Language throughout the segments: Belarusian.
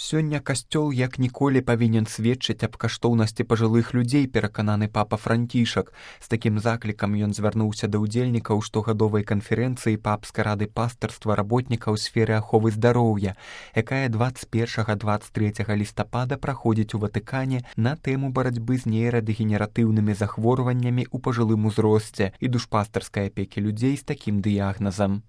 Сёння касцёл як ніколі павінен сведчыць аб каштоўнасці пажылых людзей, перакананы папа Францішак. З такім заклікам ён звярнуўся да ўдзельнікаў штогадовай канферэнцыі папскай рады пастырства работнікаў сферы аховы здароўя, якая 21-23 лістапада праходзіць у Ватыкане на тэму барацьбы з нейрадэгенератыўнымі захворваннямі ў пажылым узросце і душпастарскай апекі людзей з такім дыягназам.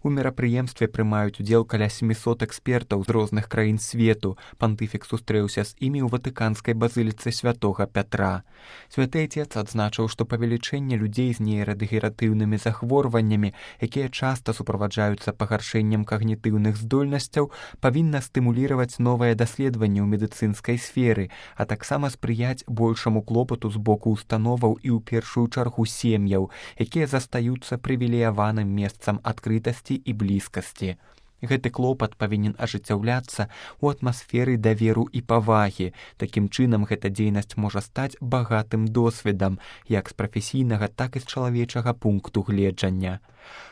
У мерапрыемстве прымаюць удзел каля 700 экспертаў з розных краін свету. Пантыфік сустрэўся з імі ў ватыканскай базыліцы святога Пятра. Святы Отец адзначыў, што павелічэнне людзей з нейрадэгенератыўнымі захворваннямі, якія часта суправаджаюцца пагаршэннем когнітыўных здольнасцяў, павінна стымуліраваць новае даследаванне ў медыцынскай сферы, а таксама спрыяць большаму клопату з боку установаў і ў першую чаргу сем'яў, якія застаюцца прывілеяваным месцам адкрытасці і блізкасці. Гэты клопат павінен ажыццяўляцца ў атмасферы даверу і павагі. Такім чынам гэта дзейнасць можа стаць багатым досведам, як з прафесійнага, так і з чалавечага пункту гледжання.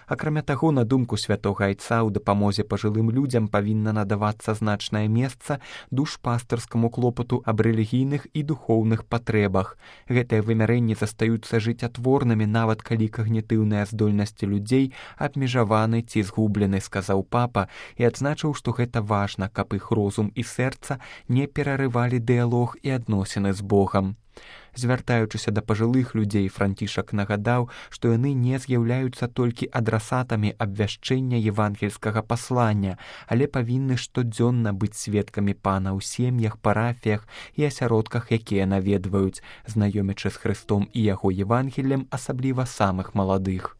Акрамя таго, на думку святога Айца, у дапамозе пажылым людзям павінна надавацца значнае месца душпастырскаму клопату аб рэлігійных і духоўных патрэбах. Гэтыя вымярэнні застаюцца жыццятворнымі, нават калі когнітыўныя здольнасці людзей абмежаваны ці згублены, сказаў папа, і адзначыў, што гэта важна, каб іх розум і сэрца не перарывалі дыялог і адносіны з Богам. Звяртаючыся да пажылых людзей, Францішак нагадаў, што яны не з'яўляюцца толькі адрасатамі абвяшчэння евангельскага паслання, але павінны штодзённа быць сведкамі Пана ў сем'ях, парафіях і асяродках, якія наведваюць, знаёмячы з Хрыстом і яго Евангеллем, асабліва самых маладых.